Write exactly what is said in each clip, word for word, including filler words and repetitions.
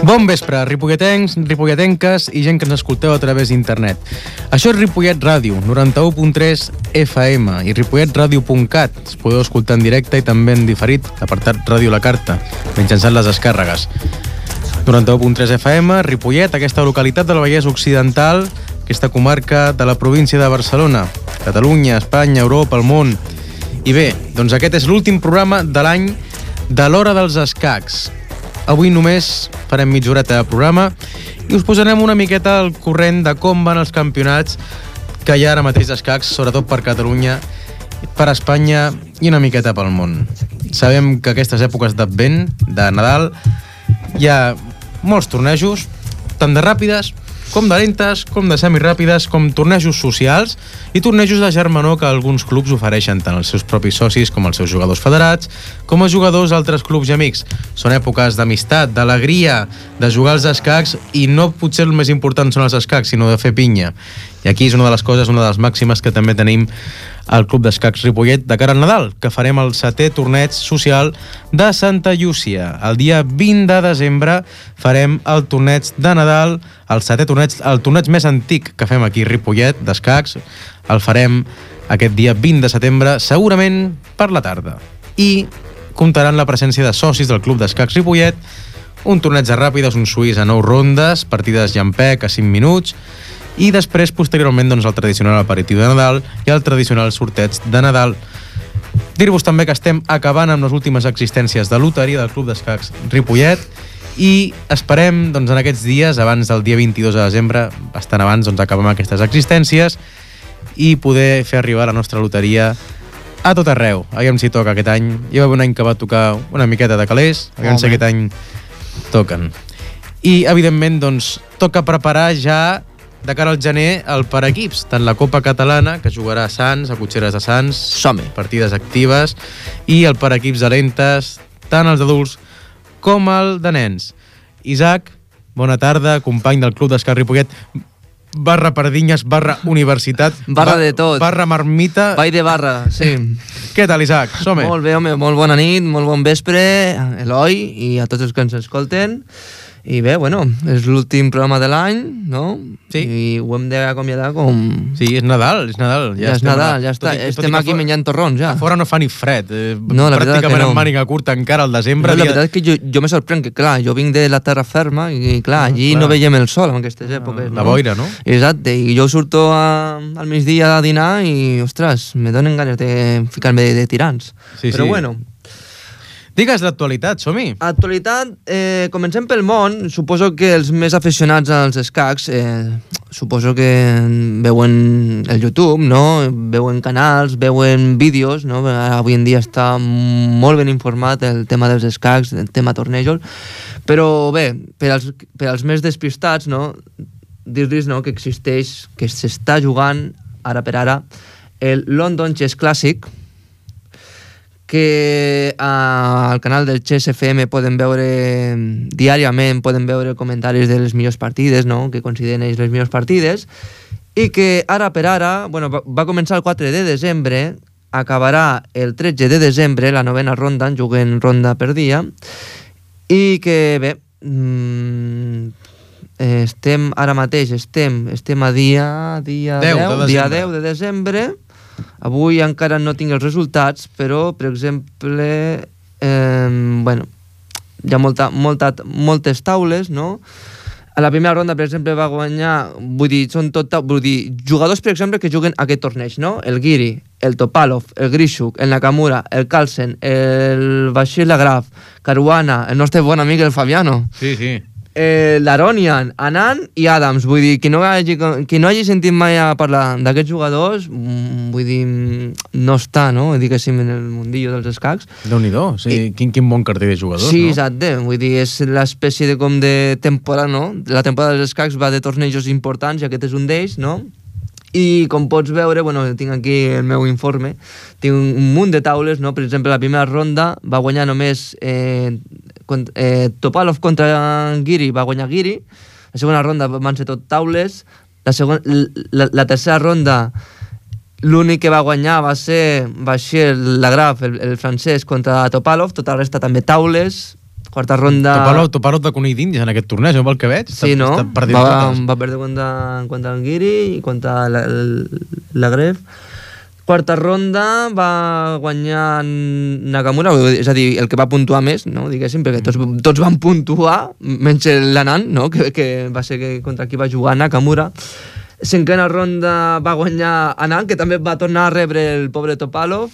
Bon vespre, ripolletens, ripolletenques i gent que ens escolteu a través d'internet. Això és Ripollet Ràdio, noranta-u punt tres F M i ripollet ràdio punt cat. Es podeu escoltar en directe i també en diferit, l'apartat Ràdio La Carta, mitjançant les descàrregues. noranta-u punt tres F M, Ripollet, aquesta localitat del Vallès Occidental, aquesta comarca de la província de Barcelona, Catalunya, Espanya, Europa, el món. I bé, doncs aquest és l'últim programa de l'any de l'Hora dels Escacs. Avui només farem mitja horeta de programa i us posarem una miqueta al corrent de com van els campionats que hi ha ara mateix d'escacs, sobretot per Catalunya, per Espanya i una miqueta pel món. Sabem que aquestes èpoques d'Advent, de Nadal, hi ha molts tornejos, tant de ràpides com de lentes, com de semiràpides, com tornejos socials i tornejos de germanor que alguns clubs ofereixen tant als seus propis socis com als seus jugadors federats, com a jugadors d'altres clubs i amics. Són èpoques d'amistat, d'alegria, de jugar als escacs i no potser el més important són els escacs, sinó de fer pinya. I aquí és una de les coses, una de les màximes que també tenim al Club d'Escacs Ripollet de cara al Nadal, que farem el setè torneig social de Santa Llúcia. El dia vint de desembre farem el torneig de Nadal, el setè torneig, el torneig més antic que fem aquí a Ripollet d'escacs. El farem aquest dia vint de setembre, segurament per la tarda. I comptarà amb la presència de socis del Club d'Escacs Ripollet, un torneig de ràpides, un suís a nou rondes, partides llampec a cinc minuts, i després, posteriorment, doncs, el tradicional aperitiu de Nadal i el tradicional sorteig de Nadal. Dir-vos també que estem acabant amb les últimes existències de loteria del Club d'Escacs Ripollet i esperem, doncs, en aquests dies, abans del dia vint-i-dos de desembre, bastant abans, doncs, acabar amb aquestes existències i poder fer arribar la nostra loteria a tot arreu. Aviam si toca aquest any. Hi va haver un any que va tocar una miqueta de calés, aviam si aquest any toquen. I, evidentment, doncs, toca preparar ja de cara al gener el per equips, tant la Copa Catalana, que jugarà a Sants, a Cotxeres de Sants, Som-hi. partides actives, i el per equips de lentes, tant els adults com el de nens. Isaac, bona tarda, company del Club d'Escacs Ripollet, barra Pardinyes, barra Universitat, barra de tot, barra Marmita. Vall de barra, sí. Què tal, Isaac? Som-hi. Molt bé, home, molt bona nit, molt bon vespre, Eloi, i a tots els que ens escolten. I bé, bueno, és l'últim programa de l'any, no? Sí. I ho hem d'acomiadar com... Sí, és Nadal, és Nadal. Ja, ja és Nadal, ja està. I, estem aquí menjant torrons, ja. A fora no fa ni fred. Eh, no, la veritat pràcticament que no. en màniga curta encara al desembre. No, la veritat és que jo, jo me sorprèn que, clar, jo vinc de la terra ferma i, clar, allí clar. no veiem el sol en aquestes èpoques. La no? boira, no? Exacte, i jo surto a, al migdia a dinar i, ostres, me donen ganes de ficar-me de, de tirants. Sí, Però sí. bueno... Digues l'actualitat, som-hi. Actualitat, eh, comencem pel món. Suposo que els més aficionats als escacs eh, suposo que veuen el YouTube, no? Veuen canals, veuen vídeos, no? Avui en dia està molt ben informat el tema dels escacs, el tema tornejos, però bé, per als, per als més despistats, no? Dir-los, no, que existeix, que s'està jugant ara per ara el London Chess Classic, que al canal del Chess F M poden veure diàriament, poden veure comentaris de les millors partides, no? Que consideren ells les millors partides, i que ara per ara, bueno, va, va començar el quatre de desembre, acabarà el tretze de desembre, la novena ronda, en juguen ronda per dia, i que bé, mmm, estem ara mateix, estem, estem a dia, dia deu, deu, de dia deu de desembre. Avui encara no tinc els resultats, però, per exemple, eh, bueno, hi ha molta, molta, moltes taules, no? A la primera ronda, per exemple, va guanyar, vull dir, són tot, vull dir, jugadors, per exemple, que juguen aquest torneig, no? El Giri, el Topalov, el Grishuk, el Nakamura, el Carlsen, el Bashir Lagraf, Caruana, el nostre bon amic, el Fabiano. Sí, sí. Eh, l'Aronian, Anand i Adams. Vull dir, qui no hagi, qui no hagi sentit mai a parlar d'aquests jugadors, vull dir, no està, no? Diguéssim, en el mundillo dels escacs. Déu-n'hi-do, sí, I... quin, quin bon carter de jugadors, sí, no? Sí, exacte, vull dir, és l'espècie de com de temporada, no? La temporada dels escacs va de tornejos importants i aquest és un d'ells, no? I com pots veure, bueno, tinc aquí el meu informe, tinc un munt de taules, no? Per exemple, la primera ronda va guanyar només eh, eh, Topalov contra Giri, va guanyar Giri. La segona ronda van ser tot taules. La, segona, la, la tercera ronda, l'únic que va guanyar va ser Bashir Lagraf, el, el francès, contra Topalov. Tota la resta també taules. Quarta ronda... Topalov, Topalov de conill d'Índies en aquest torneig, no pel que veig? Sí, no? Va, totes. va perdre contra, contra el Guiri i contra la, la Gref. Quarta ronda va guanyar Nakamura, és a dir, el que va puntuar més, no? Diguéssim, perquè tots, tots van puntuar, menys l'Anand, no? que, que va ser que contra qui va jugar Nakamura. Cinquena ronda va guanyar Anand, que també va tornar a rebre el pobre Topalov.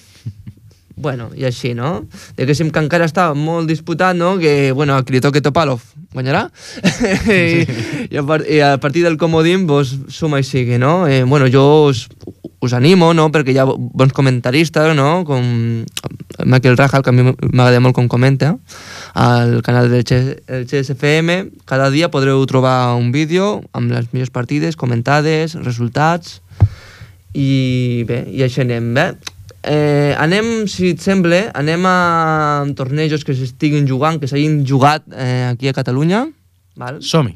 Bueno, i així, no? Diguéssim que encara està molt disputat, no? Que, bueno, a qui li toqui Topalov guanyarà. I, i, a part, I a partir del comodín, pues, suma i sigui, no? Eh, bueno, jo us, us animo, no? Perquè hi ha bons comentaristes, no? Com Michael Rahal, que a mi m'agrada molt com comenta, al canal del X S F M. Cada dia podreu trobar un vídeo amb les millors partides, comentades, resultats, i bé, i així anem, bé. Eh, anem, si et sembla, anem a tornejos que s'estiguin jugant, que s'hagin jugat eh, aquí a Catalunya. Val? Som-hi.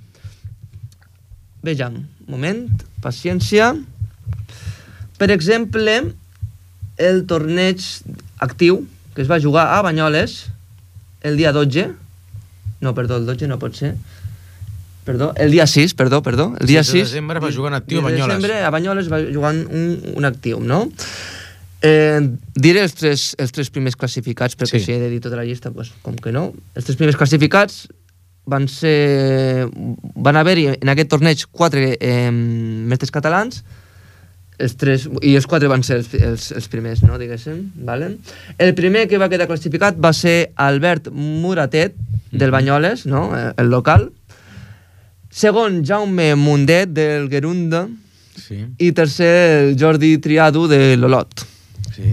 Vejam, moment, paciència. Per exemple, el torneig actiu que es va jugar a Banyoles el dia dotze. No, perdó, el dotze no pot ser. Perdó, el dia sis, perdó, perdó. El dia sis de desembre va jugar en actiu a Banyoles. El desembre a Banyoles va jugar un, un actiu, no? Eh, diré els tres, els tres primers classificats, perquè sí. Si he de dir tota la llista, pues, com que no. Els tres primers classificats van ser... Van haver-hi en aquest torneig quatre eh, mestres catalans, els tres, i els quatre van ser els, els, els primers, no, diguéssim, vale? El primer que va quedar classificat va ser Albert Muratet, del Banyoles, no?, el local. Segon, Jaume Mundet, del Gerunda. Sí. I tercer, el Jordi Triado, de l'Olot. Sí.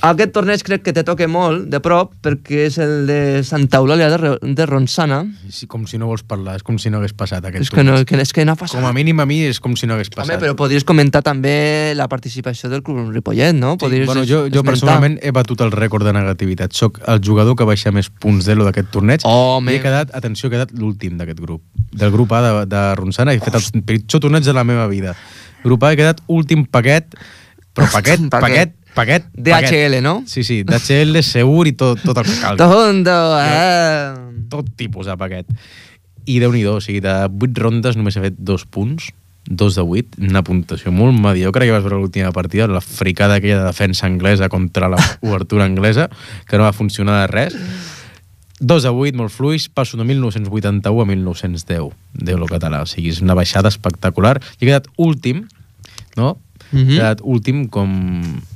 Aquest torneig crec que te toca molt de prop, perquè és el de Santa Eulàlia de, de Ronçana. Sí, com si no vols parlar, és com si no hagués passat aquest és que no, que, és que no ha passat. Com a mínim a mi és com si no hagués passat. Home, però podries comentar també la participació del Club Ripollet, no? Sí, bueno, jo, jo personalment he batut el rècord de negativitat. Soc el jugador que baixa més punts d'elo d'aquest torneig. Oh, i he quedat, atenció, he quedat l'últim d'aquest grup. Del grup A de, de Ronçana. He fet el pitjor torneig de la meva vida. Grup A he quedat últim paquet, però paquet, paquet, paquet, D H L, no? Sí, sí, D H L segur i tot, tot el que calgui. Tondo, eh? Tot tipus de paquet. I Déu-n'hi-do, o sigui, de vuit rondes només he fet dos punts, dos de vuit, una puntuació molt mediocre. Ja vas veure l'última partida, la fricada aquella de defensa anglesa contra l'obertura anglesa, que no va funcionar de res. dos a vuit, molt fluix, passo de mil nou-cents vuitanta-u a mil nou-cents deu, Déu-lo català, o sigui, és una baixada espectacular. I he quedat últim, no? Mm-hmm. He quedat últim com...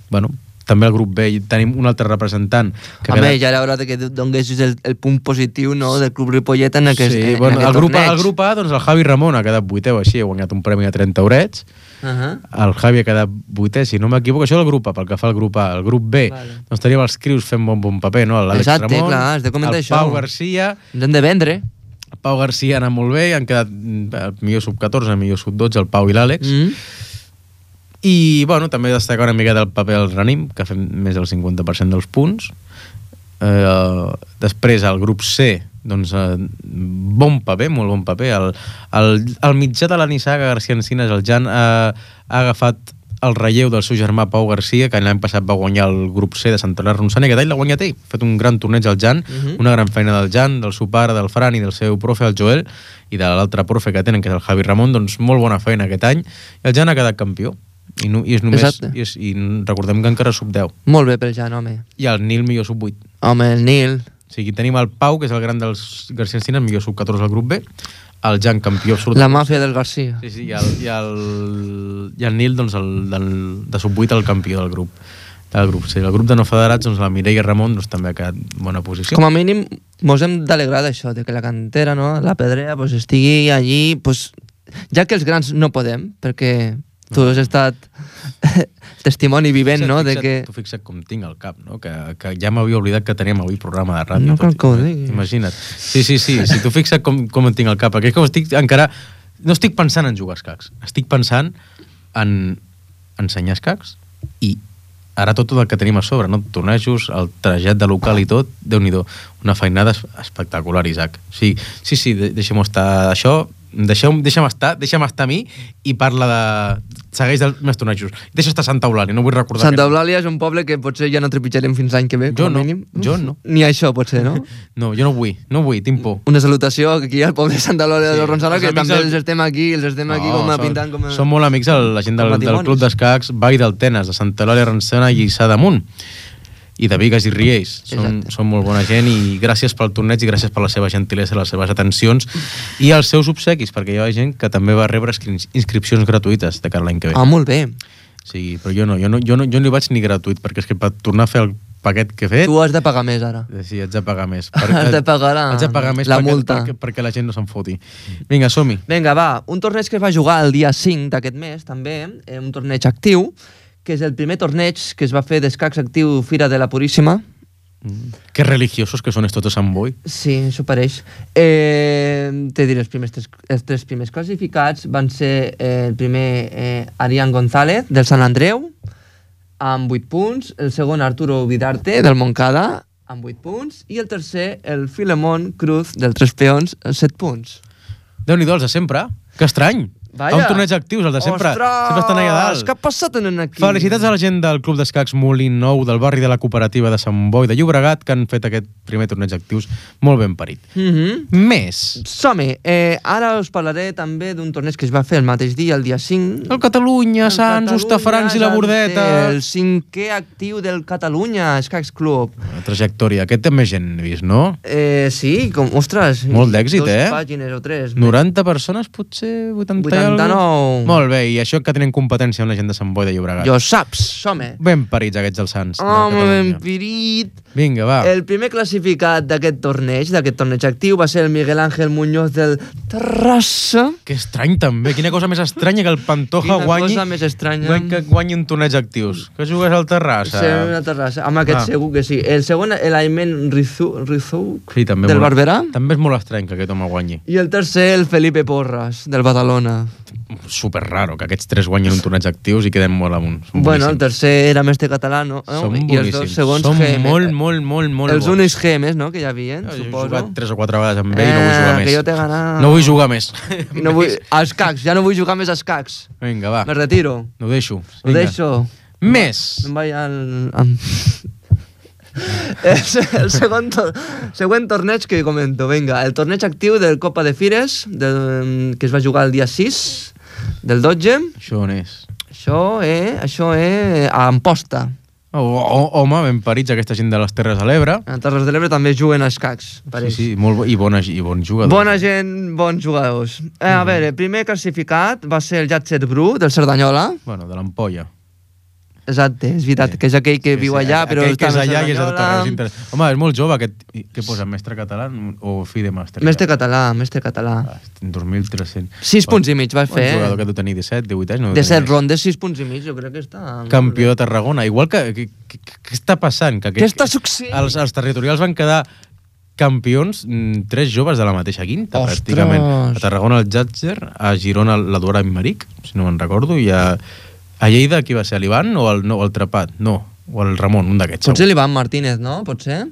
Bueno, també al grup B tenim un altre representant. Que Home, quedat... ja era hora que donguessis el, el punt positiu, no?, del Club Ripollet en aquest, sí, en bueno, aquest el grup, torneig. el grup A, doncs el Javi Ramon ha quedat vuitè o així, ha guanyat un premi de trenta eurets. Uh-huh. El Javi ha quedat vuitè, si no m'equivoco. Això és el grup A, pel que fa al grup A. El grup B, vale. Doncs teníem els crius fent bon bon paper, no? L'Àlex Ramon, clar, has de comentar el això. Pau Garcia... Ens hem de vendre. El Pau Garcia ha anat molt bé, han quedat el millor sub catorze, el millor sub dotze, el Pau i l'Àlex. Mm. I, bueno, també destacar una mica del paper del Ranim, que ha fet més del cinquanta per cent dels punts. Eh, després, el grup C, doncs, eh, bon paper, molt bon paper. El, el, el mitjà de la Nissaga García Encinas, el Jan, eh, ha agafat el relleu del seu germà Pau Garcia, que l'any passat va guanyar el grup C de Sant Hilari Ronçana, i aquest any l'ha guanyat ell. Ha fet un gran torneig al Jan, uh-huh. Una gran feina del Jan, del seu pare, del Fran i del seu profe, el Joel, i de l'altre profe que tenen, que és el Javi Ramon, doncs molt bona feina aquest any, i el Jan ha quedat campió. I, no, i és només i, és, i recordem que encara sub deu. Molt bé pel Jan, home. I el Nil millor sub vuit. Home, el Nil. O sigui, tenim el Pau, que és el gran dels García Encinas, millor sub catorze al grup B, el Jan campió absolut. La màfia del García. Sí, sí, i el, i el, i el Nil, doncs, el, del, de sub vuit el campió del grup. Del grup, sí. El grup de no federats, doncs, la Mireia Ramon, doncs, també ha quedat bona posició. Com a mínim, mos hem d'alegrar d'això, de que la cantera, no?, la pedrea, pues, estigui allí, pues, ja que els grans no podem, perquè tu has estat testimoni vivent, no? Fixa't, de que... Tu fixa't com tinc al cap, no? Que, que ja m'havia oblidat que teníem avui programa de ràdio. No cal que ho diguis. Imagina't. Sí, sí, sí, si tu fixa't com, com en tinc al cap, perquè com estic encara... No estic pensant en jugar escacs, estic pensant en ensenyar escacs i ara tot el que tenim a sobre, no? Tornejos, el trajet de local i tot, Déu-n'hi-do. Una feinada espectacular, Isaac. Sí, sí, sí, deixem-ho estar. Això deixeu, deixa'm estar, deixa'm estar a mi i parla de... segueix dels meus tornejos. Deixa estar Santa Eulàlia, no vull recordar... Santa Eulàlia és un poble que potser ja no trepitjarem fins l'any que ve, jo com a no, mínim. Jo no. Ni això, potser, no? No, jo no vull, no vull, tinc por. Una salutació aquí al poble de Santa Eulàlia Sí, de Ronçala, els que amics també del- els estem aquí, els estem aquí com a som- pintant com a... Som molt amics, el- la gent del, com del matrimonis. Club d'Escacs Vall del Tenes, de Santa Eulàlia, Ronçana i Lliçà d'Amunt. I de Bigues i Riells. Són, Exacte. són molt bona gent i gràcies pel torneig i gràcies per la seva gentilesa, les seves atencions i els seus obsequis, perquè hi ha gent que també va rebre inscri- inscripcions gratuïtes de cara a l'any que ve. Ah, molt bé. Sí, però jo no, jo no, jo no, jo no hi vaig ni gratuït, perquè és que per tornar a fer el paquet que he fet... Tu has de pagar més, ara. Sí, haig de pagar més. Has de pagar la- haig de pagar més la perquè, multa. Perquè, perquè la gent no se'n foti. Vinga, som-hi. Vinga, va, un torneig que es va jugar el dia cinc d'aquest mes, també, eh, un torneig actiu, que és el primer torneig que es va fer d'escacs actiu Fira de la Puríssima. Mm. Que religiosos que són estos de Sant Boi. Sí, això pareix. Eh, te diré, els, primers tres, els tres primers classificats van ser eh, el primer eh, Arián González, del Sant Andreu, amb vuit punts, el segon Arturo Vidarte, del Montcada, amb vuit punts, i el tercer, el Filemón Cruz, del Tres Peons, amb set punts. Déu-n'hi-do, els de sempre. Que estrany. Vaja. Un torneig actius, els de sempre. Ostres! Sempre estan allà dalt. Què ha passat en aquí? Felicitats a la gent del Club d'Escacs Molin Nou, del barri de la Cooperativa de Sant Boi de Llobregat, que han fet aquest primer torneig actius molt ben parit. Mm -hmm. Més. Som-hi. Eh, ara us parlaré també d'un torneig que es va fer el mateix dia, el dia cinc. El Catalunya, El Sants, Catalunya, Hostafrancs i la Bordeta. El cinquè actiu del Catalunya Escacs Club. La trajectòria. Aquest té més gent, he vist, no? Eh, sí, com, ostres. Molt d'èxit, dos eh? pàgines o tres. noranta persones, potser? vuitanta i vuitanta-nou. alguna? Molt bé, i això que tenen competència amb la gent de Sant Boi de Llobregat. Jo saps, som-hi. Ben parits, aquests dels Sants. de Home, Catalunya. ben pirit. Vinga, va. El primer classificat d'aquest torneig, d'aquest torneig actiu, va ser el Miguel Ángel Muñoz del Terrassa. Que estrany, també. Quina cosa més estranya que el Pantoja Quina guanyi... cosa més estranya. guany- Que guanyi un torneig actius. Que jugues al Terrassa. Sí, una terrassa. Amb aquest Ah. segur que sí. El segon, l'Aimen Rizou, Rizou Sí, també del molt- Barberà. També és molt estrany que aquest home guanyi. I el tercer, el Felipe Porras, del Badalona. Super raro que aquests tres guanyin un torneig actius i queden molt amunt. Són Bueno, el boníssims. tercer era mestre català, no? Són I els dos boníssims. segons Són G M. molt, molt, molt, molt Els bons. únics G Ms, no?, que hi havia, Jo he suposo. jugat tres o quatre vegades amb ell i no vull Eh, jugar que més. jo t'he ganat. No vull jugar més. I no vull... Els cacs, ja no vull jugar més als cacs. Vinga, va. Me retiro. Ho deixo. Ho Vinga. deixo. Més. Em vaig al... al... el, se- el segon to següent torneig que comento, vinga, el torneig actiu del Copa de Fires, del, que es va jugar el dia sis del dotze. Això on és? Això és, això és a Amposta. Oh, oh, home, ben parits aquesta gent de les Terres de l'Ebre. A Terres de l'Ebre també juguen als cacs, Sí, pareix. sí, molt bo, i, bona, i bons jugadors. Bona gent, bons jugadors. Eh, a veure, el primer classificat va ser el Jatset Bru, del Cerdanyola. Bueno, de l'Ampolla. Exacte, és veritat, Sí. que és aquell que Sí, viu sí, allà, però aquell que està és a allà i és de tot Cerdanyola. arreu, és inter- Home, és molt jove aquest... Què posa, mestre català o fill de màster? Mestre català, mestre català. Ah, dos mil tres-cents. Sis punts i mig va Un fer. jugador que deu tenir disset, divuit anys. No deu De tenir set més. rondes, sis punts i mig, jo crec que està... Campió de Tarragona. Igual que... que- que- Què està passant? Que, Què està succeint? Els, els territorials van quedar campions mm, tres joves de la mateixa quinta, Ostres! pràcticament. A Tarragona el Jatzer, a Girona la Dora Immeric, si no me'n recordo, i a, a Lleida qui va ser, l'Ivan o el, no, el Trepat? No, o el Ramon, un d'aquests. Potser segur. l'Ivan Martínez, no? Potser?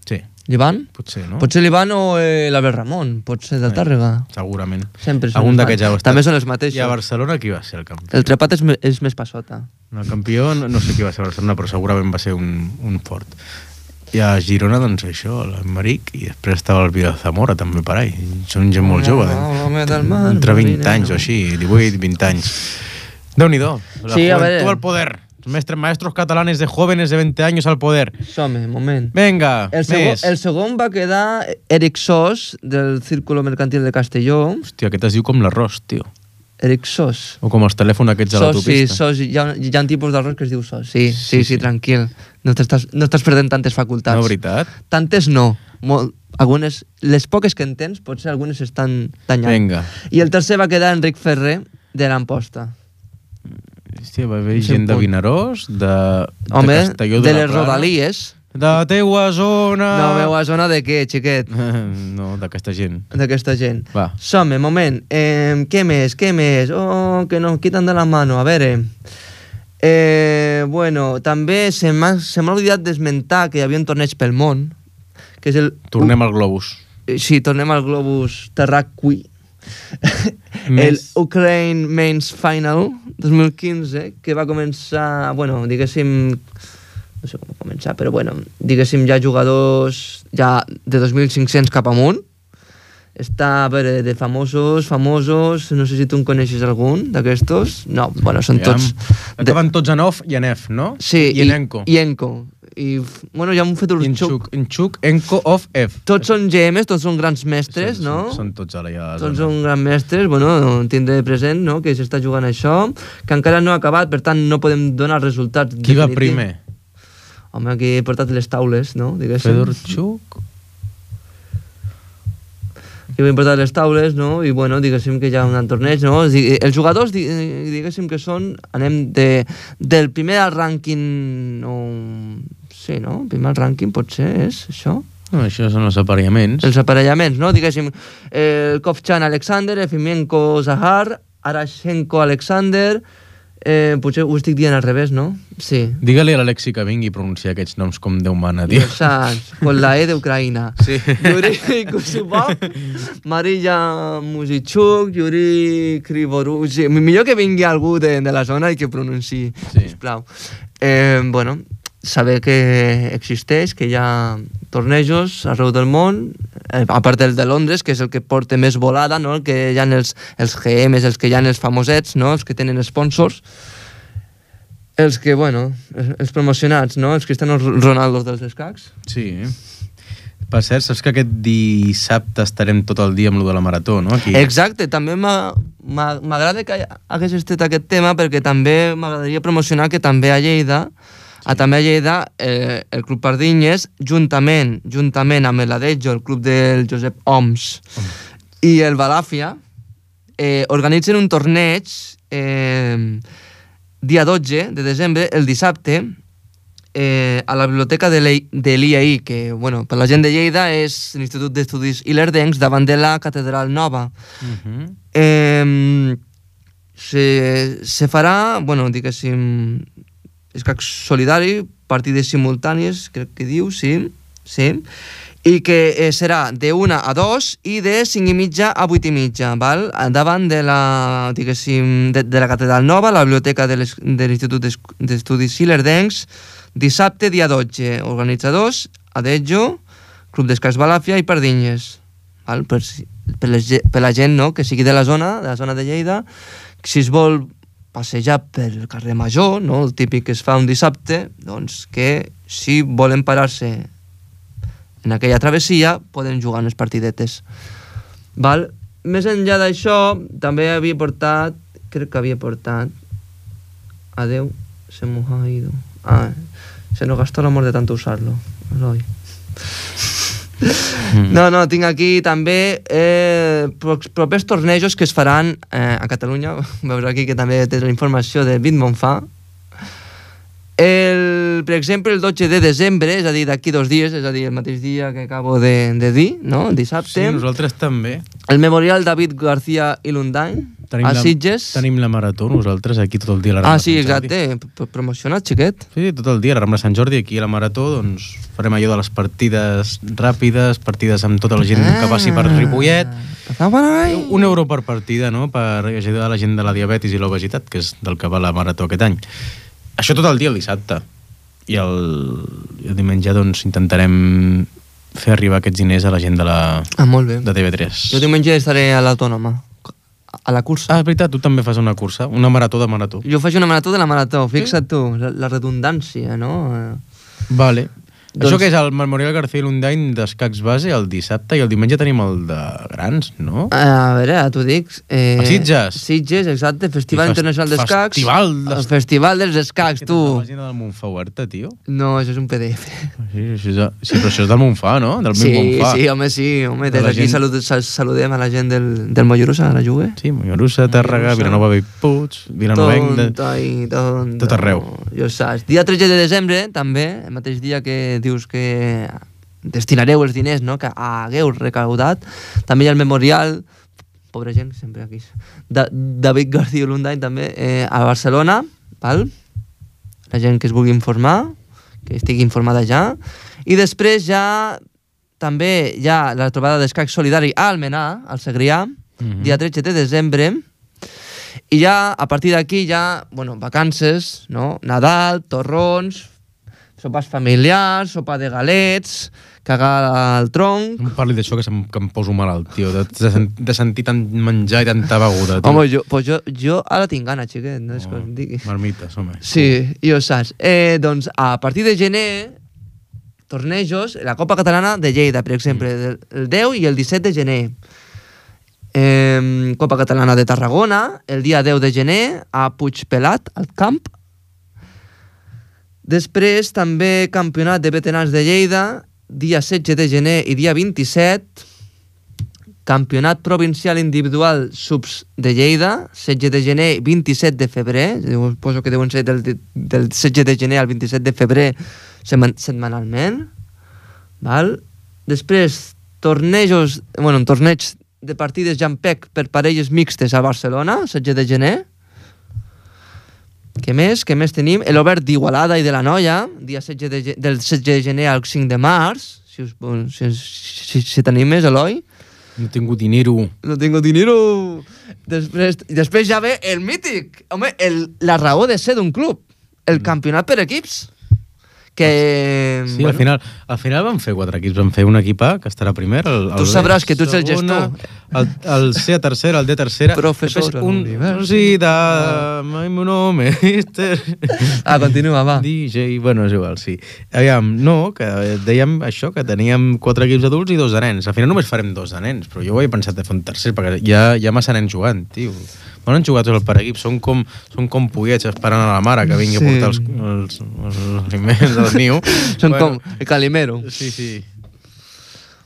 Sí, L'Ivan? potser, no? Potser l'Ivan o eh, l'Albert Ramon, potser del Eh, Tàrrega. Segurament. Sempre són Algun els d'aquests ja ho mateixos. ha estat. També són els I a mateixos. Barcelona qui va ser el campió? El Trepat és, me- és més passota. El campió, no, no sé qui va ser a Barcelona, però segurament va ser un, un fort. I a Girona, doncs això, l'Emmeric, i després estava el Vila Zamora, també per ahí. Són gent molt jove, eh? L'home del mar, Entre vint marinero. anys o així, divuit, vint anys. Déu-n'hi-do. La Sí, a juventud veure. al poder. Mestres, maestros catalanes de jóvenes de veinte años al poder. Som-hi, moment. Venga, El segon, més. el segon va quedar Eric Sos, del Círculo Mercantil de Castelló. Hòstia, aquest es diu com l'arròs, tio. Eric Sos. O com els telèfons aquests de Sos, sí, l'autopista. sos, hi ha, hi ha un tipus d'arròs que es diu sos. Sí, sí, Sí, sí, sí. sí tranquil. No t'estàs no estàs perdent tantes facultats. No, veritat? Tantes no. Molt, algunes, les poques que en tens, potser algunes estan danyant. Vinga. I el tercer va quedar Enric Ferrer, de l'Amposta. Hòstia, va haver Sí, gent de punt. Vinaròs, de, Home, de de, Castelló de de, les la Plana. Rodalies. De la teua zona... No, meva zona de què, xiquet? No, d'aquesta gent. D'aquesta gent. Va. Som-hi, moment. Eh, què més, què més? Oh, que nos quitan de la mano. A veure... Eh, bueno, també se m'ha se m'ha oblidat d'esmentar que hi havia un torneig pel món, que és el... Tornem al globus. Eh, Sí, tornem al globus terraqüi. el Ukraine Men's Final dos mil quinze, que va començar, bueno, diguéssim, no sé com començar, però bueno, diguéssim, ja jugadors ja de dos mil cinc-cents cap amunt. Està, a veure, de famosos, famosos, no sé si tu en coneixes algun d'aquestos. No, bueno, són ja, tots... Acaben tots en off i en F, no? Sí, i en Enco. I Enco. I, bueno, ja m'ho fet un xuc. En xuc, Enco, off, F. Tots són G Ms, tots són grans mestres, són, no? Són, són tots ara ja. Tots són grans mestres, bueno, tindré present, no?, que s'està jugant això, que encara no ha acabat, per tant no podem donar resultats definitiu. Qui va primer? Home, aquí he portat les taules, no?, diguéssim. Fedor Chuk... que va importar les taules, no? I bueno, diguéssim que hi ha un torneig, no? Els jugadors, diguéssim que són, anem de, del primer al rànquing, no, sí, no? El primer al rànquing potser és això? No, això són els aparellaments. Els aparellaments, no? Diguéssim, el Kovchan Alexander, Efimenko Zahar, Arashenko Alexander, eh, potser ho estic dient al revés, no? Sí. Digue-li a l'Alexi que vingui a pronunciar aquests noms com Déu mana, tio. Saps, con la E d'Ucraïna. Sí. Yuri Kusubov, Marilla Musichuk, Yuri Krivoruk... Sí, millor que vingui algú de, de la zona i que pronunciï, sí. Sisplau. Eh, bueno, saber que existeix, que hi ha tornejos arreu del món, eh, a part del de Londres, que és el que porta més volada, no? El que hi ha els, els G Ms, els que hi ha els famosets, no? Els que tenen sponsors, els que, bueno, els promocionats, no? Els Cristiano Ronaldo dels escacs. Sí. Per cert, saps que aquest dissabte estarem tot el dia amb lo de la marató, no? Aquí. Exacte, també m'agrada que hagués estat aquest tema, perquè també m'agradaria promocionar que també a Lleida, a també a Lleida, eh, el Club Pardinyes, juntament, juntament amb l'Adejo, el club del Josep Oms, oh. i el Balàfia, eh, organitzen un torneig eh, dia dotze de desembre, el dissabte, eh, a la biblioteca de l'I A I, que, bueno, per la gent de Lleida és l'Institut d'Estudis Ilerdencs, davant de la Catedral Nova. Uh-huh. eh, se, se farà, bueno, diguéssim, escac solidari, partides simultànies, crec que diu, sí, sí, i que eh, serà de una a dos i de cinc i mitja a vuit i mitja, val? Davant de la, diguéssim, de, de la Catedral Nova, la biblioteca de l'Institut d'Estudis Ilerdencs, dissabte, dia dotze, organitzadors, Adejo, Club d'Escacs Balàfia i Pardinyes, val? Per, per, les, per la gent, no?, que sigui de la zona, de la zona de Lleida, si es vol passejar pel carrer Major, no? El típic que es fa un dissabte, doncs que si volen parar-se en aquella travessia poden jugar unes partidetes. Val? Més enllà d'això, també havia portat, crec que havia portat, adeu, se m'ho ha ido. Ah, se nos gastó l'amor de tanto usarlo. No, no, no, tinc aquí també eh, propers tornejos que es faran eh, a Catalunya. Veus aquí que també té la informació de Bitmonfà. El, per exemple, el dotze de desembre, és a dir, d'aquí dos dies, és a dir, el mateix dia que acabo de, de dir, no?, dissabte. Sí, nosaltres també. El Memorial David García i Lundain, a Sitges. La, tenim la marató, nosaltres, aquí tot el dia a la Rambla Ah, sí, Sant Jordi. exacte, promocionat, xiquet. Sí, tot el dia a la Rambla Sant Jordi, aquí a la marató, doncs farem allò de les partides ràpides, partides amb tota la gent ah, que passi per Ripollet. Un euro per partida, no?, per ajudar la gent de la diabetis i l'obesitat, que és del que va la marató aquest any. Això tot el dia el dissabte. I el, el diumenge doncs intentarem fer arribar aquests diners a la gent de la ah, molt bé. De T V tres. Jo diumenge estaré a l'Autònoma, a la cursa. Ah, és veritat, tu també fas una cursa, una marató de marató. Jo faig una marató de la marató, fixa't tu, la, la redundància, no? Vale. Doncs... Això que és el Memorial García Lundain d'escacs base el dissabte i el diumenge tenim el de grans, no? A veure, ara t'ho dic. Eh, a Sitges? Sitges, exacte, Festival Fest... Internacional d'Escacs. Festival des... El Festival dels Escacs, tu. La pàgina del Montfà oberta, tio? No, això és un P D F. Sí, això és, de... sí però això és del Montfà, no? Del sí, Montfà. Sí, home, sí. Home, des d'aquí gent... salud, saludem a la gent del, del Mollerussa, a la Jugue. Sí, Mollerussa, Tàrrega, Vilanova Bellpuig, Vilanovenc... Tonta i tonta. Tot arreu. Jo saps. Dia tretze de desembre, també, el mateix dia que dius que destinareu els diners, no?, que hagueu recaudat. També hi ha el memorial, pobra gent, sempre aquí, de David García Lundain, també, eh, a Barcelona, val? La gent que es vulgui informar, que estigui informada ja. I després ja, també hi ha la trobada d'escac solidari a Almenar, al Segrià, mm-hmm. dia tretze de desembre, i ja, a partir d'aquí, ja, bueno, vacances, no? Nadal, torrons, sopars familiars, sopa de galets, cagar al tronc... No em parli d'això, que, que em poso malalt, tio, de, de, de sentir tant menjar i tanta beguda, tio. Home, jo, pues jo, jo ara tinc gana, xiquet, no és oh, que em digui. Marmites, home. Sí, i ho saps. Eh, doncs, a partir de gener, tornejos, la Copa Catalana de Lleida, per exemple, mm. el deu i el disset de gener. Eh, Copa Catalana de Tarragona, el dia deu de gener, a Puigpelat, al camp. Després, també Campionat de Veterans de Lleida, dia setze de gener i dia vint-i-set. Campionat Provincial Individual Subs de Lleida, setze de gener i vint-i-set de febrer. Suposo que deuen ser del, del setze de gener al vint-i-set de febrer setmanalment. Val? Després, tornejos, bueno, torneigs de partides Jampec per parelles mixtes a Barcelona, setze de gener. Què més? Què més tenim? El Obert d'Igualada i de la Noia, dia setze de, del setze de gener al cinc de març, si, us, si, si, si t'animes, Eloi. No tinc dinero. No tinc dinero. Després, després ja ve el mític. Home, el, la raó de ser d'un club. El mm. campionat per equips. Que... Sí, bueno, al final, al final van fer quatre equips. Van fer un equip A, que estarà primer. El, el tu sabràs que tu ets el gestor. El, el C a tercera, el D a tercera. Professor de l'universitat, mai meu nome, mister... Ah, continua, va. D J, bueno, és igual, sí. Aviam, no, que dèiem això, que teníem quatre equips adults i dos de nens. Al final només farem dos de nens, però jo ho he pensat de fer un tercer, perquè hi ha, hi ha massa nens jugant, tio. Quan han jugat tots el per equip, són com, són com pollets esperant a la mare que vingui sí. a portar els, els, els aliments al niu. Són bueno, com el calimero. Sí, sí.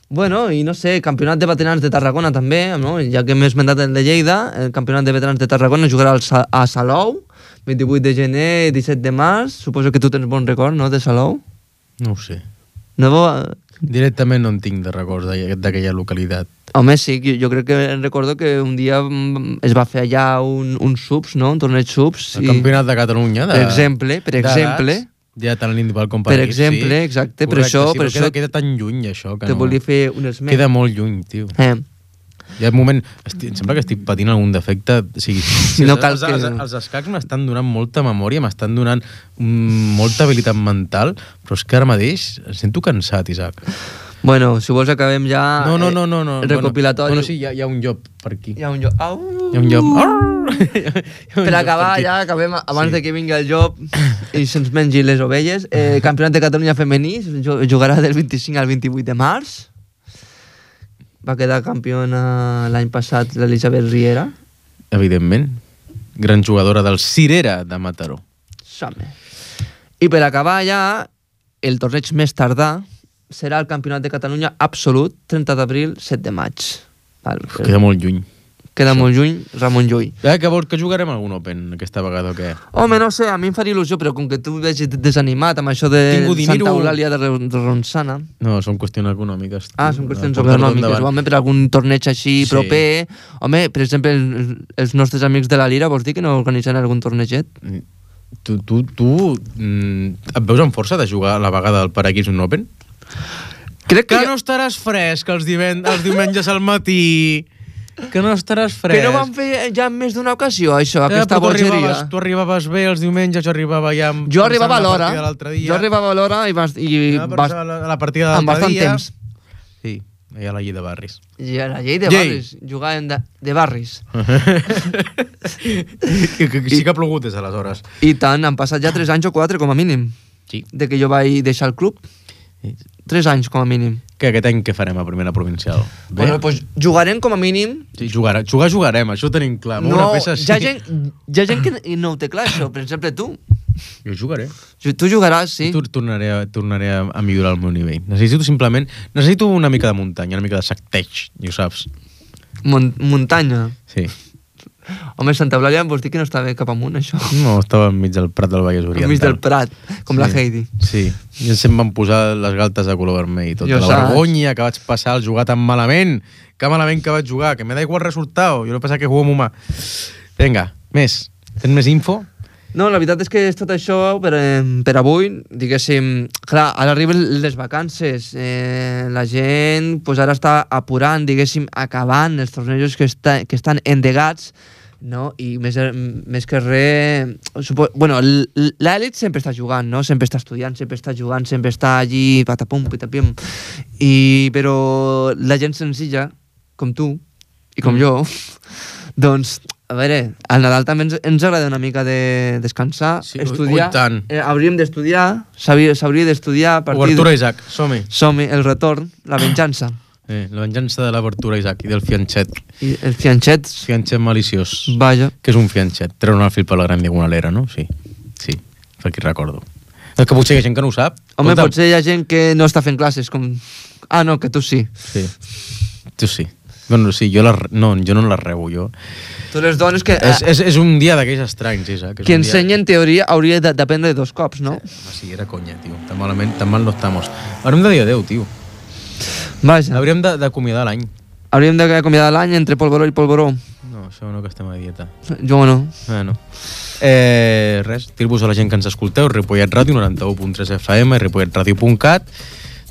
Bueno, i no sé, campionat de veterans de Tarragona també, no? Ja que m'he esmentat el de Lleida, el campionat de veterans de Tarragona jugarà al Sa a Salou, vint-i-vuit de gener i disset de març. Suposo que tu tens bon record, no?, de Salou? No ho sé. No bo... Directament no en tinc de records d'aquella localitat. Home, sí, jo crec que recordo que un dia es va fer allà un, un subs, no?, un torneig subs. El i... campionat de Catalunya. De... Per exemple, per exemple. Ja tant l'individual com per Per exemple, sí. Exacte, correcte, per això... Sí, per això això queda tan lluny, això, que te no... volia fer un esment. Queda molt lluny, tio. Eh. Hi ha un moment... Estic, em sembla que estic patint algun defecte. O sigui, si no els, cal els, que... els, els escacs m'estan donant molta memòria, m'estan donant mm, molta habilitat mental, però és que ara mateix em sento cansat, Isaac. Bueno, si vols acabem ja... No, no, no, no, no. El recopilatori. Bueno, bueno sí, hi ha, hi ha un llop per aquí. Hi ha un llop. Au! Hi ha un llop. Per acabar, ja acabem abans sí. de que vingui el llop i se'ns mengi les ovelles. Eh, Campionat de Catalunya femení jugarà del vint-i-cinc al vint-i-vuit de març. Va quedar campiona l'any passat l'Elisabet Riera. Evidentment. Gran jugadora del Cirera de Mataró. Som-hi. I per acabar ja, el torneig més tardà serà el Campionat de Catalunya absolut, trenta d'abril, set de maig. Val, queda molt lluny. Queda això. Molt lluny, Ramon Llull. Eh, que vols que jugarem algun Open aquesta vegada o què? Home, no sé, a mi em faria il·lusió, però com que tu veig desanimat amb això de Santa Eulàlia de Ronçana... No, són qüestions econòmiques. Ah, són qüestions econòmiques. Home, per algun torneig així sí. proper... Home, per exemple, els nostres amics de la Lira, vols dir que no organitzen algun torneget? Tu, tu, tu mm, et veus amb força de jugar a la vegada del per equips un Open? Crec que, que jo... no estaràs fresc els, els diumenges al matí. Que no estaràs fresc. Que no vam fer ja en més d'una ocasió, això, ja, aquesta bogeria. Tu arribaves, tu arribaves bé els diumenges, jo arribava ja... Jo arribava a l'hora. Jo arribava a l'hora i vas... I ja, vas a la, la partida de l'altre dia... Temps. Sí, hi ha la llei de barris. I a la llei de llei. barris. Jugàvem de, de barris. que, que, que sí que ha plogut des d'aleshores. I tant, han passat ja tres anys o quatre, com a mínim. Sí. De que jo vaig deixar el club. Tres anys, com a mínim. Que aquest any què farem a primera provincial? Bé? Bueno, doncs jugarem com a mínim... Sí, jugar, jugar jugarem, això ho tenim clar. No, una peça, sí. hi, ha gent, hi ha gent que no ho té clar, això. Per exemple, tu. Jo jugaré. Tu jugaràs, sí. Tu tornaré, a, tornaré a millorar el meu nivell. Necessito simplement... Necessito una mica de muntanya, una mica de sacteig, ja ho saps. Mon muntanya? Sí. Home, Santa Eulàlia vols dir que no estava cap amunt, això? No, estava enmig del Prat del Vallès Oriental. Enmig del Prat, com sí. la Heidi. Sí, i em van posar les galtes de color vermell. Tota jo la saps. vergonya que vaig passar al jugar tan malament. Que malament que vaig jugar, que me da igual el resultat. Jo no passa que jugo amb humà. Vinga, més. Tens més info? No, la veritat és que és tot això per, eh, per avui, diguéssim, clar, ara arriben les vacances, eh, la gent pues, ara està apurant, diguéssim, acabant els tornejos que, està, que estan endegats, no? I més, més que res... Supo... Bueno, l'elit sempre està jugant, no? Sempre està estudiant, sempre està jugant, sempre està allí, patapum, patapim, i, però la gent senzilla, com tu i com mm. jo, doncs... A veure, al Nadal també ens, ens agrada una mica de descansar, sí, estudiar. Ui, tant. Eh, hauríem d'estudiar, s'hauria d'estudiar a partir... Obertura Isaac, som-hi. Som-hi, el retorn, la venjança. Eh, la venjança de l'obertura Isaac i del fianxet. I el fianxet... Fianxet maliciós. Vaja. Que és un fianxet? Treure el fil per la gran diagonalera, no? Sí, sí, per aquí recordo. És que potser hi ha gent que no ho sap. Home, Escolta. Potser hi ha gent que no està fent classes, com... Ah, no, que tu sí. Sí, tu sí. Bueno, sí, jo, la, no, jo no la rebo, jo. Tu les dones que... És, és, és un dia d'aquells estranys, Isaac. Qui ensenya, en teoria, hauria d'aprendre dos cops, no? Sí, home, sí, era conya, tio. Tan malament, tan mal no estamos. Hauríem de dir adeu, tio. Vaja. Hauríem d'acomiadar l'any. Hauríem d'acomiadar l'any entre polvoró i polvoró. No, això no, que estem a dieta. Jo no. Bueno. Eh, res, dir-vos a la gent que ens escolteu, Ripollet Ràdio, noranta-u punt tres F M, ripollet ràdio punt cat.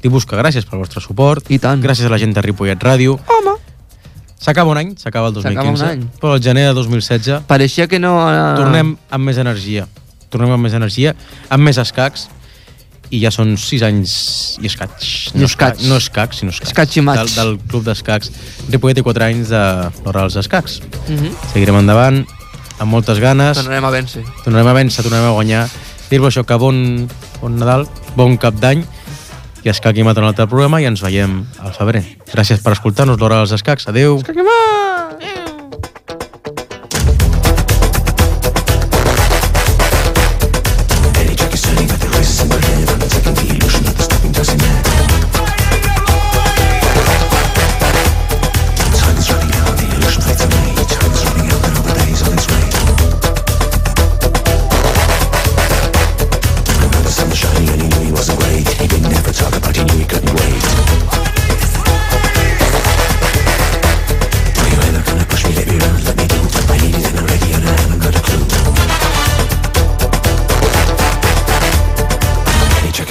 Dir-vos que gràcies pel vostre suport. I tant. Gràcies a la gent de Ripollet Ràdio. Home. S'acaba un any, s'acaba el dos mil quinze. S'acaba un any. Però el gener de dos mil setze... Pareixia que no... Uh... Tornem amb més energia. Tornem amb més energia, amb més escacs, i ja són sis anys i escacs. No escacs. No escacs, sinó escacs. Escacs i maig. Del, del club d'escacs. Ripollet té quatre anys de l'hora dels escacs. Uh -huh. Seguirem endavant, amb moltes ganes. Tornarem a vèncer. Tornarem a vèncer, tornarem a guanyar. Dir-vos això, que bon, bon Nadal, bon cap d'any, i Escac i Mat en un altre programa, i ens veiem al febrer. Gràcies per escoltar-nos, l'hora dels escacs. Adéu. Escac i Mat!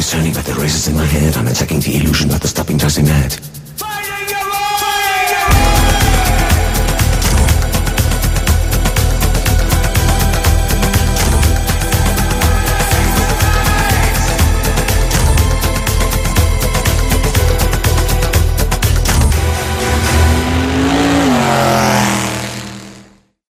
Turning, but the race is in my head. I'm attacking the illusion, but the stopping doesn't matter.